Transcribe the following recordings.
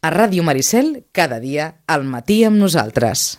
A Ràdio Maricel, cada dia, al matí amb nosaltres.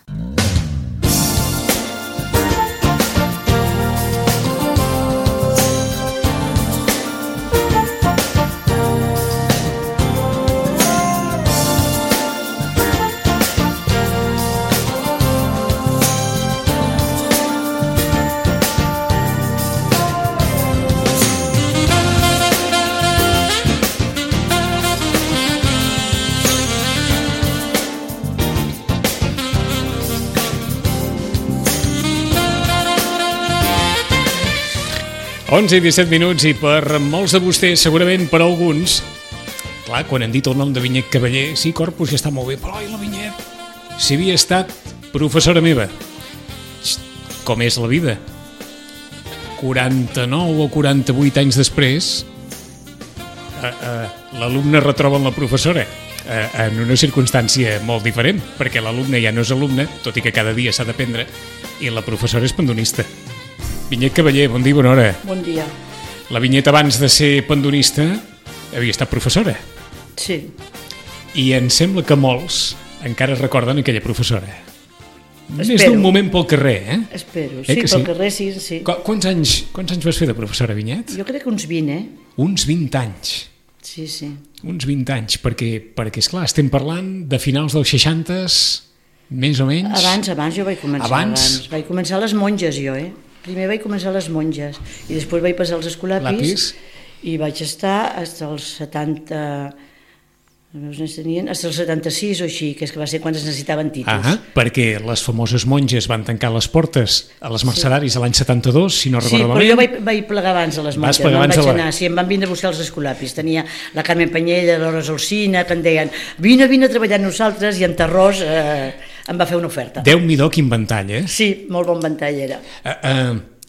Onze i 17 minuts, i per molts de vostès, segurament per alguns, clar, quan han dit el nom de Vinyet Cavaller, sí, Corpus ja està molt bé, però la Vinyet, si havia estat professora meva, com és la vida, 49 o 48 anys després, l'alumne retroba la professora en una circumstància molt diferent, perquè l'alumne ja no és alumne, tot i que cada dia s'ha d'aprendre, i la professora és pendonista. Vinyet Cavaller, bon dia, bona hora. Bon dia. La Vinyet, abans de ser pendonista, havia estat professora. Sí. I em sembla que molts encara recorden aquella professora. Espero. Més d'un moment pel carrer, eh? Espero, sí, pel carrer sí. Quants anys vas fer de professora, Vinyet? Jo crec que uns 20, Uns 20 anys. Sí. Uns 20 anys, perquè esclar, estem parlant de finals dels 60s, més o menys. Abans jo vaig començar. Abans? Vaig començar a les monges, jo, Primer vaig començar a les monges i després vaig passar als escolapis i vaig estar fins als 70... Els nens tenien fins als 76 o així, que és que va ser quan es necessitaven títols. Perquè les famoses monges van tancar les portes a les Mercedaris l'any 72, si no recordo malament. Sí, però jo vaig plegar abans a les monges. Vas plegar abans a la... Sí, em van vindre a buscar els escolapis. Tenia la Carmen Panyella, l'Hora Solsina, que em deien vine a treballar amb nosaltres, i en Tarròs em va fer una oferta. Déu-n'hi-do, quin ventall, Sí, molt bon ventall era.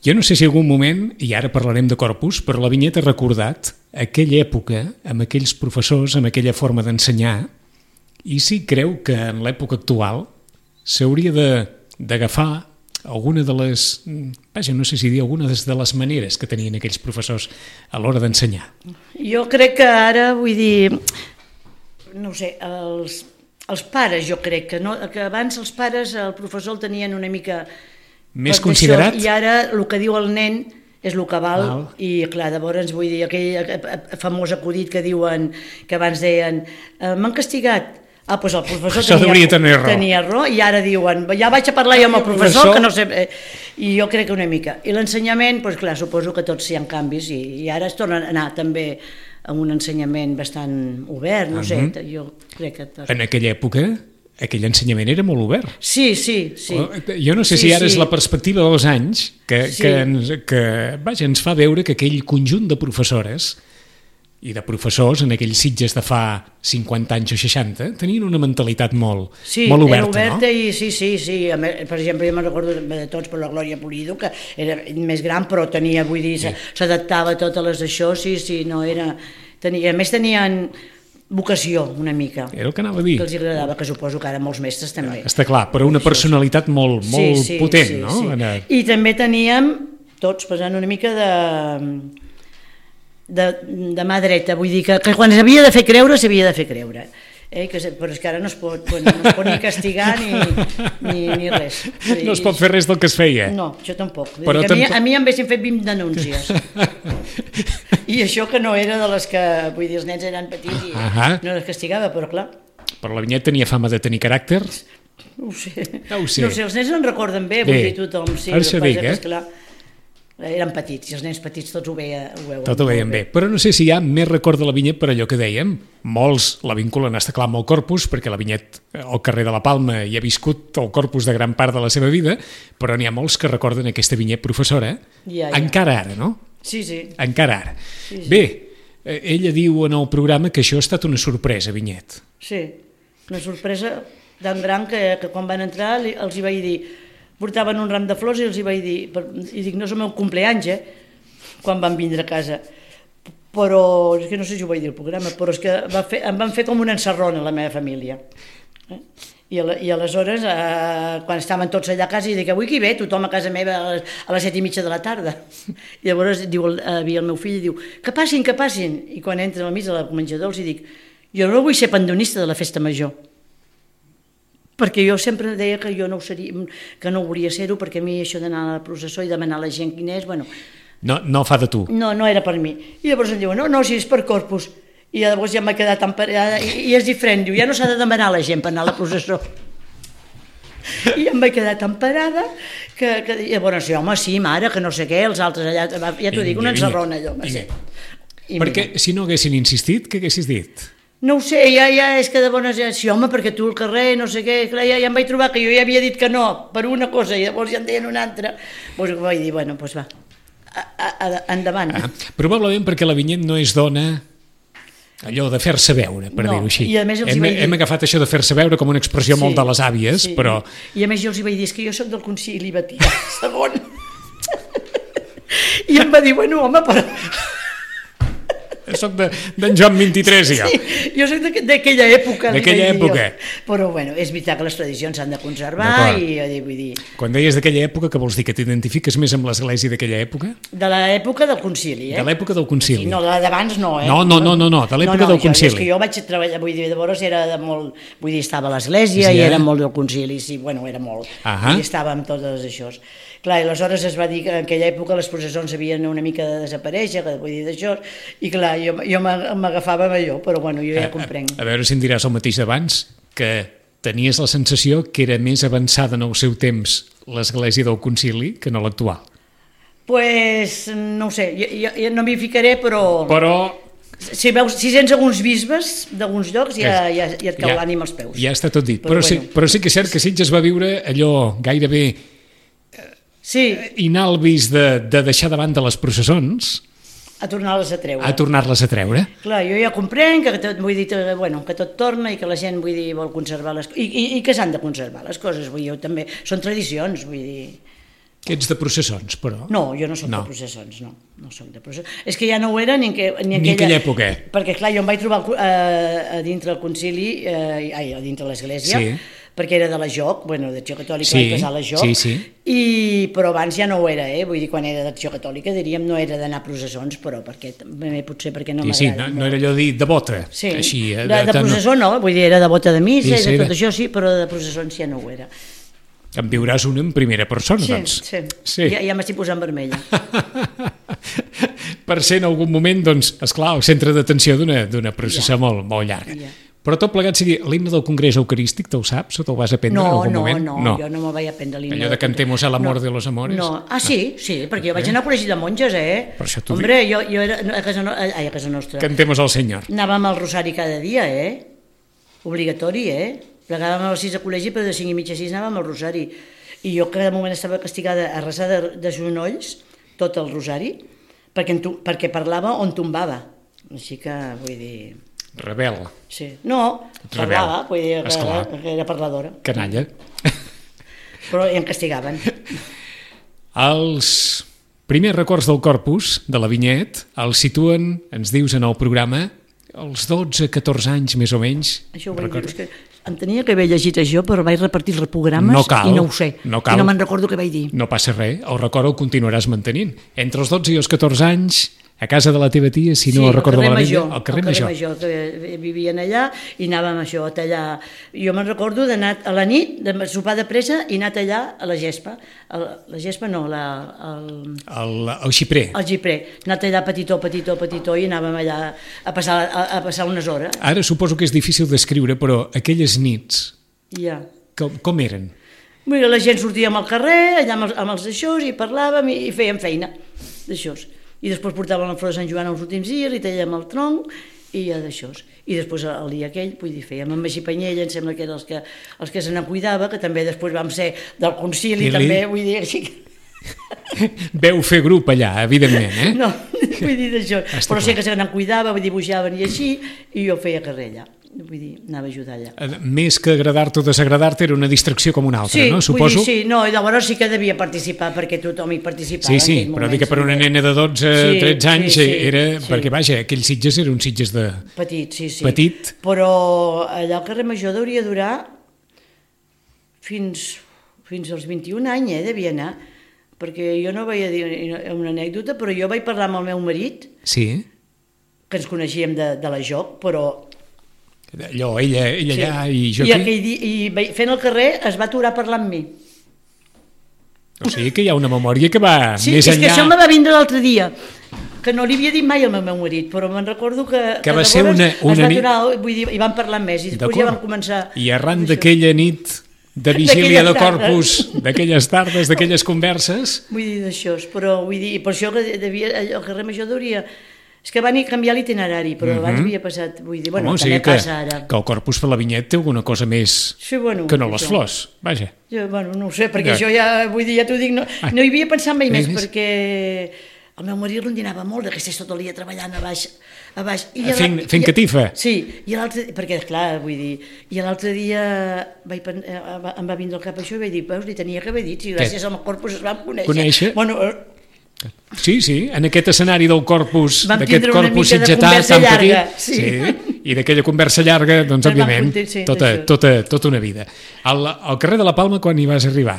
Jo no sé si algun moment, i ara parlarem de Corpus, però la Vinyet ha recordat aquella època, amb aquells professors, amb aquella forma d'ensenyar, i sí creu que en l'època actual s'hauria d'agafar alguna de les, no sé si dir alguna de les maneres que tenien aquells professors a l'hora d'ensenyar. Jo crec que ara, vull dir, no ho sé, els pares, jo crec que abans els pares, el professor el tenien una mica... Més considerat? I ara el que diu el nen és el que val, i clar, llavors vull dir, aquell famós acudit que diuen, que abans deien, m'han castigat. Doncs el professor tenia raó, i ara diuen, ja vaig a parlar jo amb el professor, que no sé... I jo crec que una mica. I l'ensenyament, doncs clar, suposo que tots hi ha canvis, i ara es torna a anar també amb un ensenyament bastant obert, no sé, jo crec que... En aquella època... aquell ensenyament era molt obert. Sí. Jo no sé si ara és la perspectiva dels anys que ens fa veure que aquell conjunt de professores i de professors en aquells Sitges de fa 50 anys o 60 tenien una mentalitat molt oberta, no? Sí, era oberta, i sí. Per exemple, jo me'n recordo de tots per la Glòria Pulido, que era més gran, però tenia, vull dir, s'adaptava a totes les d'això, sí, no era... A més tenien... vocació, una mica. Era el que anava a dir. Que els agradava, que suposo que ara molts mestres també. Està clar, però una personalitat molt potent, no? I també teníem, tots passant una mica de mà dreta, vull dir que quan s'havia de fer creure, s'havia de fer creure. Però és que ara no es pot ni castigar ni res. No es pot fer res del que es feia? No, això tampoc. A mi em haguessin fet 20 denúncies. I això que no era de les que, vull dir, els nens eren petits i no les castigava, però clar. Però la Vinyet tenia fama de tenir caràcter? No ho sé. No sé, els nens no en recorden bé, vull dir, tothom. Ara això dic, eren petits, i els nens petits tots ho veien. Tot ho veien bé. Però no sé si hi ha més record de la Vinyet per allò que dèiem. Molts la vinculen, està clar, amb el Corpus, perquè la Vinyet al carrer de la Palma hi ha viscut el Corpus de gran part de la seva vida, però n'hi ha molts que recorden aquesta Vinyet professora, encara ara, no? Sí. Encara ara. Bé, ella diu en el programa que això ha estat una sorpresa, Vinyet. Sí, una sorpresa tan gran que quan van entrar els hi vaig dir, portaven un ram de flors i els hi vaig dir, i dic, no és el meu compleanys, quan van vindre a casa, però és que no sé si ho vaig dir al programa, però és que em van fer com una encerrona a la meva família. I aleshores, quan estaven tots allà a casa, i dic, avui qui ve? Tothom a casa meva a les 7:30 de la tarda. I llavors havia el meu fill i diu, que passin, i quan entra al mig del menjador els dic, Jo no vull ser pandonista de la festa major, perquè jo sempre deia que jo no ho seria, que no volia ser-ho, perquè a mi això d'anar a la processó i demanar a la gent quin és, bueno... No fa de tu. No era per mi. I llavors em diuen, no, si és per Corpus. I llavors ja m'ha quedat emparada, i és diferent, diu, ja no s'ha de demanar a la gent per anar a la processó. I em vaig quedar tan parada que llavors, home, sí, mare, que no sé què, els altres allà, ja t'ho dic, una ensarrona allò. Perquè si no haguessin insistit, què haguessis dit? No ho sé, ja és que de bones... Sí, home, perquè tu al carrer, no sé què, clar, ja em vaig trobar que jo ja havia dit que no, per una cosa, i llavors ja em deien una altra. Doncs vaig dir, bueno, doncs va, endavant. Probablement perquè la Vinyet no és dona... allò de fer-se veure, per dir-ho així. Hem agafat això de fer-se veure com una expressió molt de les àvies, però... I a més jo els vaig dir, és que jo soc del Concili Vaticà II. I em va dir, bueno, home, però... Soc d'en Joan 23, jo. Sí, jo soc d'aquella època. D'aquella època. Però, bueno, és veritat que les tradicions s'han de conservar i vull dir... Quan deies d'aquella època, què vols dir? Que t'identifiques més amb l'església d'aquella època? De l'època del concili, De l'època del concili. No, de la d'abans no, No, de l'època del concili. És que jo vaig treballar, vull dir, llavors era de molt... Vull dir, estava a l'església i era molt del concili, sí, bueno, era molt. I estava amb totes això. Clar, i aleshores es va dir que en aquella època les processons havien una mica de desaparèixer, vull dir, d'això, i clar, jo m'agafava amb allò, però bueno, jo ja comprenc. A veure si em diràs el mateix d'abans, que tenies la sensació que era més avançada en el seu temps l'església del concili que no l'actual. Pues no ho sé, jo no m'hi ficaré, però... Si sents alguns bisbes d'alguns llocs ja et cau l'ànima als peus. Ja està tot dit, però sí que és cert que Sitges va viure allò gairebé inalvis de deixar davant de les processons a tornar-les a treure. Clar, jo ja comprenc que tot torna i que la gent vol conservar les coses i que s'han de conservar les coses, vull dir, jo també, són tradicions, vull dir... Que ets de processons, però? No, jo no soc de processons, no soc de processons. És que ja no ho era ni en aquella època. Perquè, clar, jo em vaig trobar a dintre el concili, a dintre l'església, perquè era de la JOC, d'Acció Catòlica, vaig passar a la JOC, però abans ja no ho era, vull dir, quan era d'Acció Catòlica, diríem, no era d'anar a processons, però potser perquè no m'agrada. Sí, no era allò de devota. Sí, de processó no, vull dir, era devota de missa i de tot això sí, però de processons ja no ho era. En viuràs una en primera persona, doncs. Sí. Ja m'estic posant vermella. Per ser en algun moment, doncs, esclar, el centre d'atenció d'una processó molt llarga. Però tot plegat sigui l'himne del Congrés Eucarístic, te'l saps o te'l vas aprendre en algun moment? No, jo no me'l vaig aprendre l'himne. Allò de Cantemos el amor de los amores? No. Sí, perquè jo vaig anar a col·legi de monges, Per això t'ho dic. Hombre, jo era a casa nostra. Cantemos al Senyor. Anàvem al rosari cada dia, obligatori, plegàvem a les 6 a col·legi, però de 5 i mitja a 6 anàvem al rosari. I jo cada moment estava castigada a resar de genolls tot el rosari, perquè parlava on tombava. Així que, vull dir... Rebel. Sí. No, parlava, vull dir que era parladora. Canalla. Però em castigaven. Els primers records del Corpus, de la Vinyet, els situen, ens dius en el programa, als 12-14 anys més o menys. Això ho vaig dir, és que em tenia que haver llegit això, però vaig repartir els programes i no ho sé. I no me'n recordo què vaig dir. No passa res, el record el continuaràs mantenint. Entre els 12 i els 14 anys, a casa de la teva tia, si no recordo malament, al carrer Major. Que vivien allà i anàvem a tallar. Jo me'n recordo d'anar a la nit, de sopar de pressa i anar a tallar a la gespa. La gespa no, el xiprer. El xiprer. Anar a tallar petitó i anàvem allà a passar unes hores. Ara suposo que és difícil descriure, però aquelles nits, com eren? La gent sortíem al carrer, allà amb els d'aixòs, i parlàvem i fèiem feina d'aixòs. I després portàvem la flor de Sant Joan els últims dies, li tallàvem el tronc i ja d'això. I després el dia aquell, vull dir, fèiem amb Magí Panyella, em sembla que eren els que se n'en cuidava, que també després vam ser del concili, també, vull dir, així que... Veu fer grup allà, evidentment, No, vull dir d'això, però sé que se n'en cuidava, dibuixaven i així, i jo feia carrer allà. Vull dir, anava a ajudar allà. Més que agradar-te o desagradar-te, era una distracció com una altra, no? Suposo? Vull dir, llavors sí que devia participar, perquè tothom hi participava. Sí, però dic que per una nena de 12-13 anys era... Perquè, vaja, aquells Sitges eren uns Sitges de... Petit, sí. Petit. Però allà al carrer Major hauria durar fins als 21 anys, devia anar, perquè jo no vaig dir una anècdota, però jo vaig parlar amb el meu marit, que ens coneixíem de la JOC, però Allò, ella allà i jo I, aquí. i fent el carrer es va aturar a parlar amb mi. O sigui que hi ha una memòria que va Sí, més és que enllà. això me va vindre l'altre dia, que no li havia dit mai al meu marit, però me'n recordo que va ser llavors una es va nit- aturar, vull dir, i van parlar més, i després ja van començar... I arran d'aquella nit de vigília de D'aquelles Corpus, d'aquelles tardes, d'aquelles converses... Vull dir d'això, però vull dir, per això que el carrer Major hauria... És que van canviar l'itinerari, però abans havia passat, vull dir, bueno, Home, o també sigui que, passa ara. que el Corpus per la Vinyet té alguna cosa més Sí, bueno, que no les això. flors, vaja. Jo, bueno, no ho sé, perquè Ja. jo ja, vull dir, ja t'ho dic, no hi havia pensat mai més, més? perquè el meu marit rondinava molt, que estés tot el dia treballant a baix. I Fent catifa. Sí, i l'altre, perquè clar, vull dir, i l'altre dia em va vindre al cap això i vaig dir, veus, li tenia que haver dit, si gràcies al Corpus es vam conèixer. Bueno, Sí, en aquest escenari del Corpus, vam d'aquest tindre una Corpus mica de sitgetà conversa tan llarga, petit, sí. i d'aquella conversa llarga, doncs, Vam òbviament, sí, tota una vida. Al carrer de la Palma, quan hi vas arribar?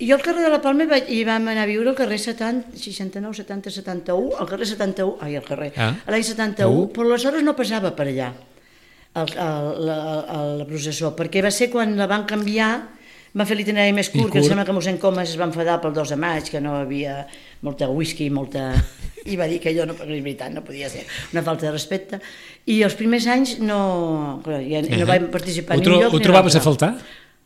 jo al carrer de la Palma hi vam anar a viure al carrer 70, 69, 70, 71, al carrer 71, l'any 71, però aleshores no passava per allà la processó, perquè va ser quan la van canviar, van fer l'itinerari més curt, que em sembla que mossèn Comas es va enfadar pel 2 de maig, que no havia molta whisky, i va dir que allò no, és veritat, no podia ser una falta de respecte, i els primers anys no vam participar en lloc. Ho trobaves a faltar?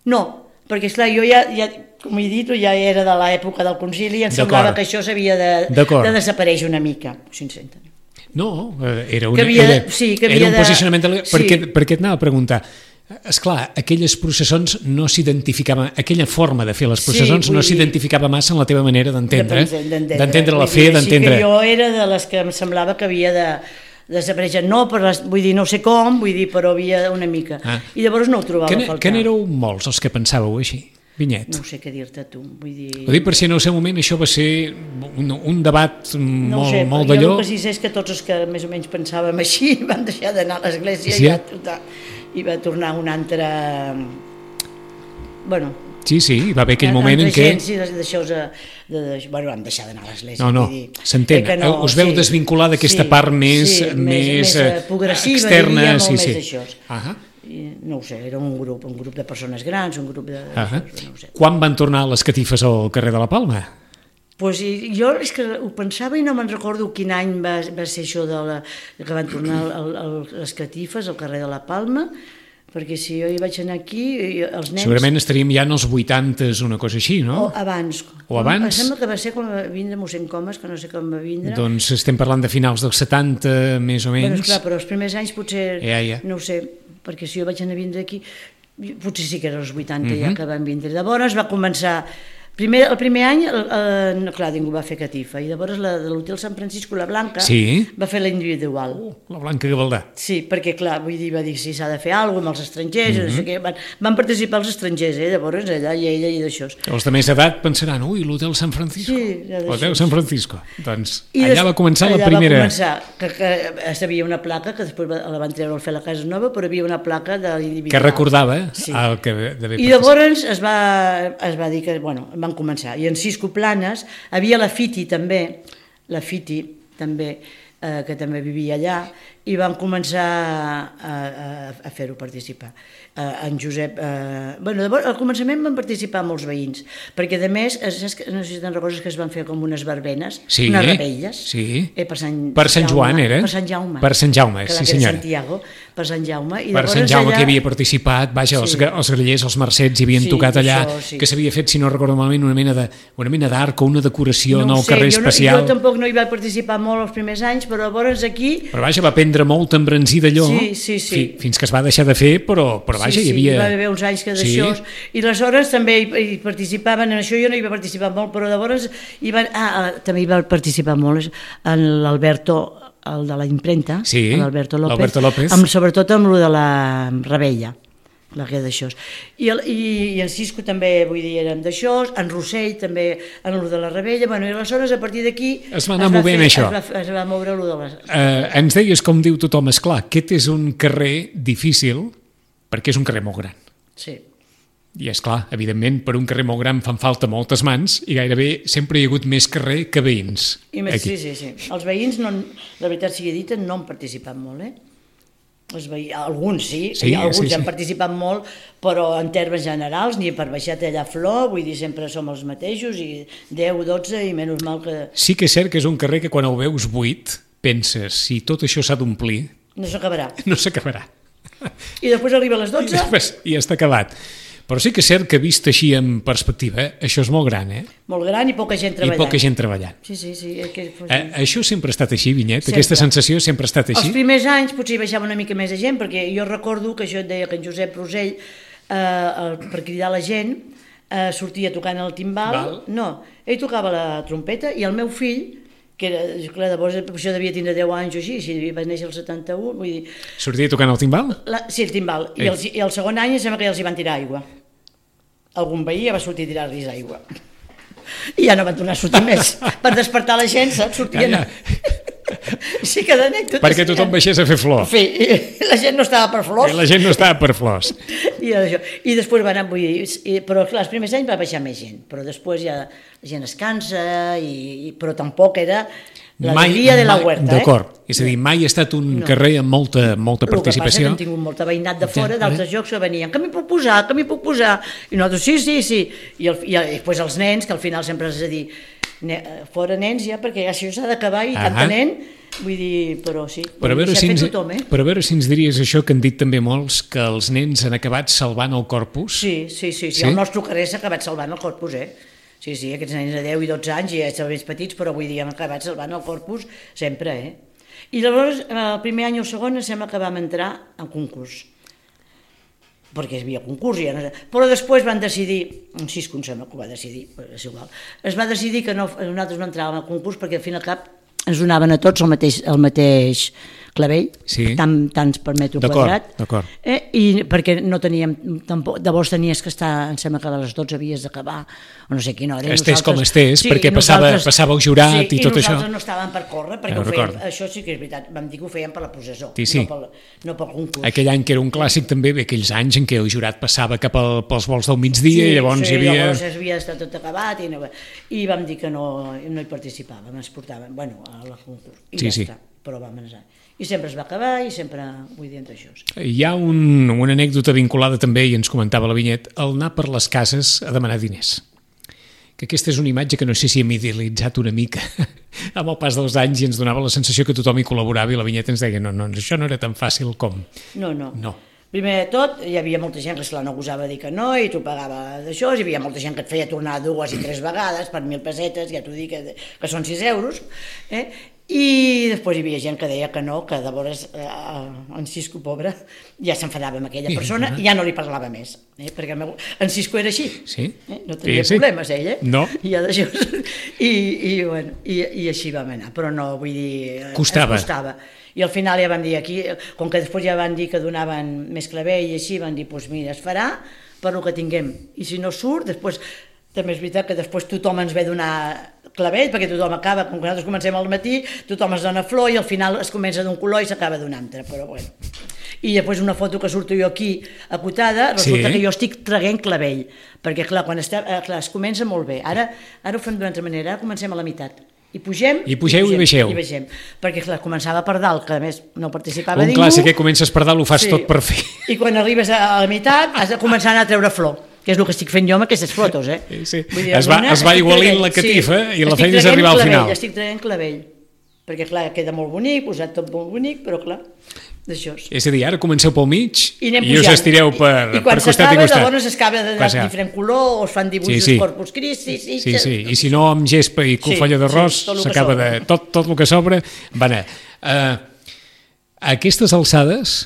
No, perquè esclar, jo ja com he dit, ja era de l'època del concili i em semblava que això s'havia de desaparèixer una mica, sincerament. No, era un posicionament... Perquè et anava a preguntar, esclar, aquelles processons no s'identificaven, aquella forma de fer les processons no s'identificava massa en la teva manera d'entendre la fe, d'entendre... Sí, que jo era de les que em semblava que havia de desaparèixer, vull dir, no sé com, però havia una mica. I llavors no ho trobava a faltar. Que n'éreu molts els que pensàveu així, Vinyet? No sé què dir-te tu, vull dir... Ho dic per si en el seu moment això va ser un debat molt d'allò... Jo el que sí sé és que tots els que més o menys pensàvem així van deixar d'anar a l'església i va tornar un altre... Bueno... Sí, hi va haver aquell moment en què... Bueno, vam deixar d'anar a l'església. No, s'entén. Us veu desvincular d'aquesta part més progressiva, externa. Molt més d'això. No ho sé, era un grup de persones grans, un grup de... Quan van tornar les catifes al carrer de la Palma? Pues jo és que ho pensava i no me'n recordo quin any va ser això que van tornar les catifes al carrer de la Palma, perquè si jo hi vaig anar aquí, els nens... Segurament estaríem ja en els 80s, una cosa així, no? O abans. Em sembla que va ser quan va vindre mossèn Comas, que no sé com va vindre. Doncs estem parlant de finals dels 70, més o menys. Bueno, esclar, però els primers anys potser, no ho sé, perquè si jo vaig anar a vindre aquí, potser sí que era els 80 ja que van vindre. Llavors va començar... El primer any, clar, ningú va fer catifa, i llavors de l'Hotel Sant Francisco, la Blanca, va fer la individual. La Blanca Gavaldà. Sí, perquè, clar, vull dir, va dir si s'ha de fer alguna cosa amb els estrangers, no sé què, van participar els estrangers, llavors allà i ella i d'això. Els de més edat pensaran, l'Hotel Sant Francisco. Sí, l'Hotel Sant Francisco. Doncs allà va començar la primera... Allà va començar, que havia una placa, que després la van treure al fer la Casa Nova, però havia una placa de l'individual. Que recordava el que devia I llavors es va dir que, bueno, van començar. I en Cisco Planes havia la Fiti també, que també vivia allà, i van començar a fer-ho participar. En Josep... al començament van participar molts veïns, perquè a més, no sé si te'n recordes que es van fer com unes verbenes, unes rebelles, per Sant Joan era? Per Sant Jaume. Per Sant Jaume, sí senyora. Santiago, per Sant Jaume. Per Sant Jaume, que havia participat, vaja, els grellers, els mercets hi havien tocat allà, que s'havia fet, si no recordo malament, una mena d'arc o una decoració en el carrer especial. Jo tampoc no hi vaig participar molt els primers anys, però llavors aquí... Però vaja, va prendre molt embranzir d'allò, fins que es va deixar de fer, però vaja, hi havia... Sí, va haver uns anys que d'això, i aleshores també hi participaven, en això jo no hi va participar molt, però llavors també hi va participar molt en l'Alberto, el de la impremta, l'Alberto López, sobretot amb el de la Rebella, la que d'això. I en Cisco també, vull dir, érem d'això, en Rossell també, en el de la Rebella, i aleshores a partir d'aquí es va anar movent això. Es va moure el de les... Ens deies, com diu tothom, esclar, aquest és un carrer difícil, perquè és un carrer molt gran. Sí. I esclar, evidentment, per un carrer molt gran fan falta moltes mans i gairebé sempre hi ha hagut més carrer que veïns. Sí. Els veïns, la veritat sigui dita, no han participat molt, alguns sí, alguns han participat molt, però en termes generals, ni per baixar tallar flor, vull dir, sempre som els mateixos, i 10, 12, i menys mal que... Sí que és cert que és un carrer que quan el veus buit, penses, si tot això s'ha d'omplir... No s'acabarà. No s'acabarà. I després arriba a les 12... I està acabat. Però sí que és cert que vist així en perspectiva, això és molt gran, Molt gran i poca gent treballant. I poca gent treballant. Sí. Això sempre ha estat així, Vinyet? Sempre. Aquesta sensació sempre ha estat així? Els primers anys potser hi baixava una mica més de gent, perquè jo recordo que això et deia que en Josep Rosell, per cridar la gent, sortia tocant el timbal. No, ell tocava la trompeta i el meu fill, que era, clar, llavors això devia tindre 10 anys o així, si va néixer el 71, vull dir... Sortia tocant el timbal? Sí, el timbal. I el segon any sembla que ja els hi van tirar aigua. Algun veí ja va sortir a tirar-los aigua. I ja no van tornar a sortir més. Per despertar la gent, saps? Sortien... Sí que d'anècdotes... Perquè tothom baixés a fer flor. Sí, la gent no estava per flors. La gent no estava per flors. I després van anar, vull dir, però clar, els primers anys va baixar més gent, però després ja la gent es cansa, però tampoc era l'alegria de la huerta. D'acord, és a dir, mai ha estat un carrer amb molta participació. El que passa que hem tingut molta veïnat de fora, d'altres llocs que venien, que m'hi puc posar, i nosaltres sí. I després els nens, que al final sempre has de dir, fora nens ja, perquè això s'ha d'acabar i tanta nen, vull dir, però sí, però a veure si ens diries això que han dit també molts, que els nens han acabat salvant el corpus. Sí, el nostre carrer s'ha acabat salvant el corpus, Sí, aquests nens de 10 i 12 anys ja estaven més petits, però avui dia hem acabat salvant el corpus sempre, I llavors, el primer any o el segon, sembla que vam entrar en concurs, perquè hi havia concurs, però després van decidir, un Cisco em sembla que ho va decidir, és igual, es va decidir que nosaltres no entràvem al concurs perquè al fin i al cap ens donaven a tots el mateix clavell, tant ens permeto quadrat, i perquè no teníem, llavors tenies que estar, em sembla que a les 12 havies d'acabar, o no sé quina hora. Estés com estés, perquè passava el jurat i tot això. I nosaltres no estàvem per córrer, perquè això sí que és veritat, vam dir que ho fèiem per la processó, no pel concurs. Aquell any que era un clàssic també, aquells anys en què el jurat passava cap pels vols del migdia i llavors hi havia... Sí, llavors havia estat tot acabat i vam dir que no hi participàvem, ens portàvem, al concurs, i ja està, però vam anar. I sempre es va acabar i sempre vull dir entre això. Hi ha una anècdota vinculada també, i ens comentava la Vinyet, el anar per les cases a demanar diners. Que aquesta és una imatge que no sé si hem idealitzat una mica amb el pas dels anys i ens donava la sensació que tothom hi col·laborava i la Vinyet ens deia no, això no era tan fàcil com... No. Primer de tot, hi havia molta gent que esclar no gosava dir que no i t'ho pagava d'això, hi havia molta gent que et feia tornar 2 i 3 vegades per 1.000 pessetes, ja t'ho dic que són 6 euros, i després hi havia gent que deia que no, que llavors en Cisco, pobre, ja s'enfadava amb aquella persona i ja no li parlava més, perquè en Cisco era així, no tenia problemes ell, no. I així vam anar, però no, vull dir, costava. I al final ja vam dir aquí, com que després ja van dir que donaven més clavell i així, van dir, doncs mira, es farà per el que tinguem, i si no surt, després, també és veritat que després tothom ens ve donar clavell, perquè tothom acaba, com que nosaltres comencem al matí, tothom es dona flor i al final es comença d'un color i s'acaba d'un altre, però bueno. I després una foto que surto jo aquí acotada, resulta que jo estic traguent clavell, perquè clar, quan es comença molt bé, ara ho fem d'una altra manera, ara comencem a la meitat. I pugem i baixeu. Perquè clar, començava per dalt, que a més no participava ningú. Un clàssic, que comences per dalt, ho fas tot per fer. I quan arribes a la meitat has de començar a anar a treure flor, que és el que estic fent jo amb aquestes fotos. Dir, es va igualint la catifa i la feina és arribar al final. Estic traient clavell, perquè clar, queda molt bonic, posat tot molt bonic, però clar, d'això. És a dir, ara comenceu pel mig i us estireu per costat i costat. I quan s'acaba, llavors s'acaba de diferent color, o es fan dibuixos Corpus Christi. Sí, i si no amb gespa i cofolla d'arròs, s'acaba de... Tot el que sobra va anar. A aquestes alçades,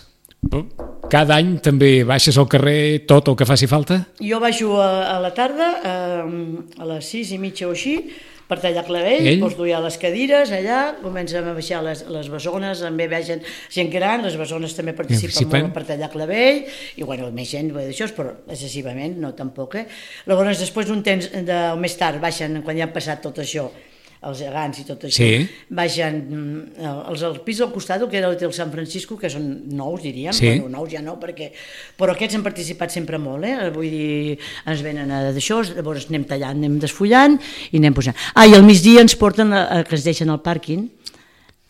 cada any també baixes al carrer tot el que faci falta? Jo baixo a la tarda, a les 6:30 o així, per tallar clavell, doncs duia les cadires allà, comencem a baixar les bessones, també baixen gent gran, les bessones també participen molt per tallar clavell, i bueno, més gent d'això, però excessivament, no tampoc. Llavors, després d'un temps, més tard, baixen, quan ja han passat tot això, els gegants i tot això, baixen al pis del costat, que era l'Hotel Sant Francisco, que són nous, diríem, bueno, nous ja no, però aquests han participat sempre molt, vull dir, ens venen d'això, llavors anem tallant, anem desfullant i anem posant. I al migdia ens porten, que ens deixen al pàrquing,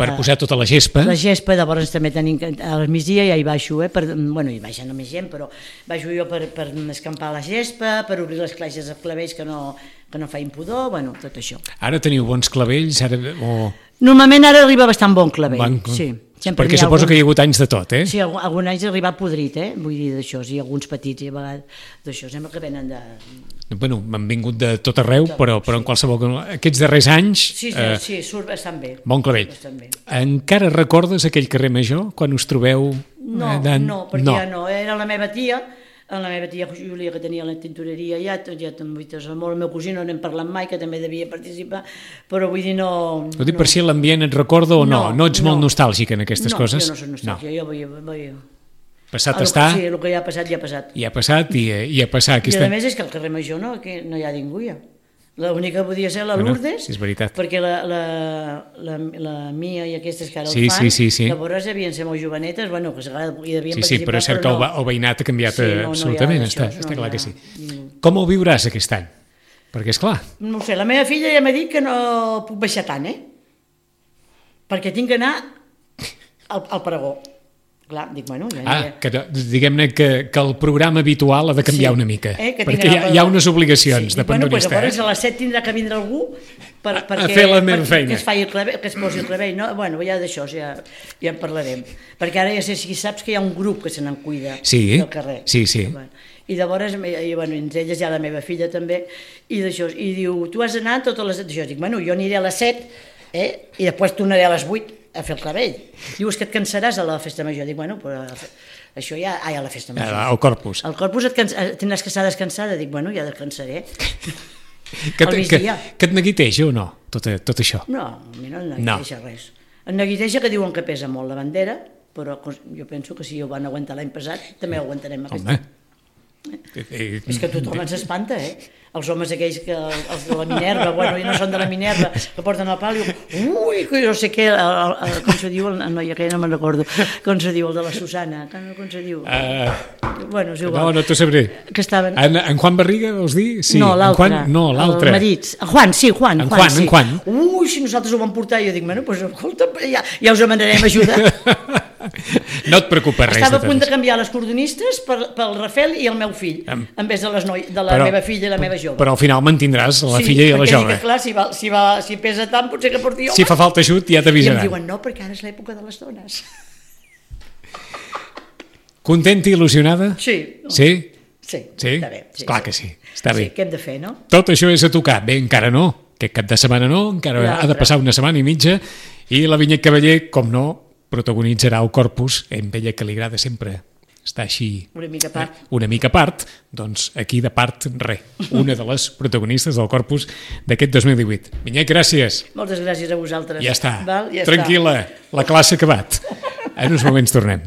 Per posar tota la gespa. La gespa, llavors també tenim al migdia, ja hi baixo, bueno, hi baixa no més gent, però baixo jo per escampar la gespa, per obrir les clatges dels clavells que no feien pudor, bueno, tot això. Ara teniu bons clavells? Normalment ara arriba bastant bon clavell, sí. Perquè suposo que hi ha hagut anys de tot, eh? Sí, algun any ha arribat podrit, vull dir d'això, i alguns petits, i a vegades d'això, sembla que venen de... Bueno, m'han vingut de tot arreu, però en qualsevol... Aquests darrers anys... Sí, surt bastant bé. Bon clavell. Encara recordes aquell carrer Major, quan us trobeu... No, perquè ja no, era la meva tia Júlia, que tenia la tintoreria ja molt, el meu cosí no n'hem parlat mai, que també devia participar, però vull dir no... Ho dic per si l'ambient et recorda o no? No ets molt nostàlgic en aquestes coses? No, jo no soc nostàlgica, jo vull... Passat està... Sí, el que ja ha passat, ja ha passat. Ja ha passat i a passar... I a més és que al carrer Major no hi ha ningú ja. L'única podia ser la Lourdes, és veritat. perquè la Mia i aquestes que ara el fan, llavors devien ser molt jovenetes, bueno, que hi devien participar, però és cert que el veïnat ha canviat absolutament, està clar que sí. Com ho viuràs aquest any? Perquè, esclar... No ho sé, la meva filla ja m'ha dit que no puc baixar tant, perquè tinc que anar al pregó. Clar, dic, bueno... Diguem-ne que el programa habitual ha de canviar una mica, perquè hi ha unes obligacions de pandonista. Bueno, llavors a les 7 tindrà que vindre algú a fer la meva feina. Que es posi el clavell, no? Bueno, ja d'això ja en parlarem. Perquè ara ja sé si saps que hi ha un grup que se n'en cuida del carrer. Sí. I llavors, entre elles hi ha la meva filla també, i d'això, i diu, tu has d'anar totes les... Dic, bueno, jo aniré a les 7, i després tornaré a les 8, a fer el clavell. Diu, és que et cansaràs a la festa major. Dic, bueno, però això ja... a la festa major. Al Corpus. Al Corpus tindràs que estar descansada. Dic, bueno, ja descansaré. Que et neguiteja o no, tot això? No, a mi no em neguiteja res. Em neguiteja que diuen que pesa molt la bandera, però jo penso que si ho van aguantar l'any passat, també ho aguantarem aquest any. És que tothom ens espanta, els homes aquells, els de la Minerva, bueno, i no són de la Minerva, que porten el pal i diuen, ui, no sé què, com se diu, el noi aquell no me'n recordo, com se diu, el de la Susana, com se diu? Bueno, és igual. No t'ho sabré. En Juan Barriga, vols dir? No, l'altre. El marit. Juan. Ui, si nosaltres ho vam portar, jo dic, bueno, doncs escolta, ja us demanarem ajuda. No et preocupes res. Estava a punt de canviar les cordonistes pel Rafel i el meu fill, en vez de la meva filla i la meva jove. Però al final mantindràs la filla i la jove. Sí, perquè clar, si pesa tant, potser que porti home. Si fa falta ajut, ja t'avisaran. I em diuen, no, perquè ara és l'època de les dones. Contenta i il·lusionada? Sí. Sí? Sí, està bé. Clar que sí, està bé. Sí, què hem de fer, no? Tot això és a tocar. Bé, encara no. Aquest cap de setmana no, encara ha de passar una setmana i mitja. I la Vinyet Cavaller, com no, protagonitzarà el Corpus, amb ella que li agrada sempre estar així una mica a part, doncs aquí de part res, una de les protagonistes del Corpus d'aquest 2018. Vinyet, gràcies. Moltes gràcies a vosaltres. Ja està, tranquil·la, la classe ha acabat. En uns moments tornem.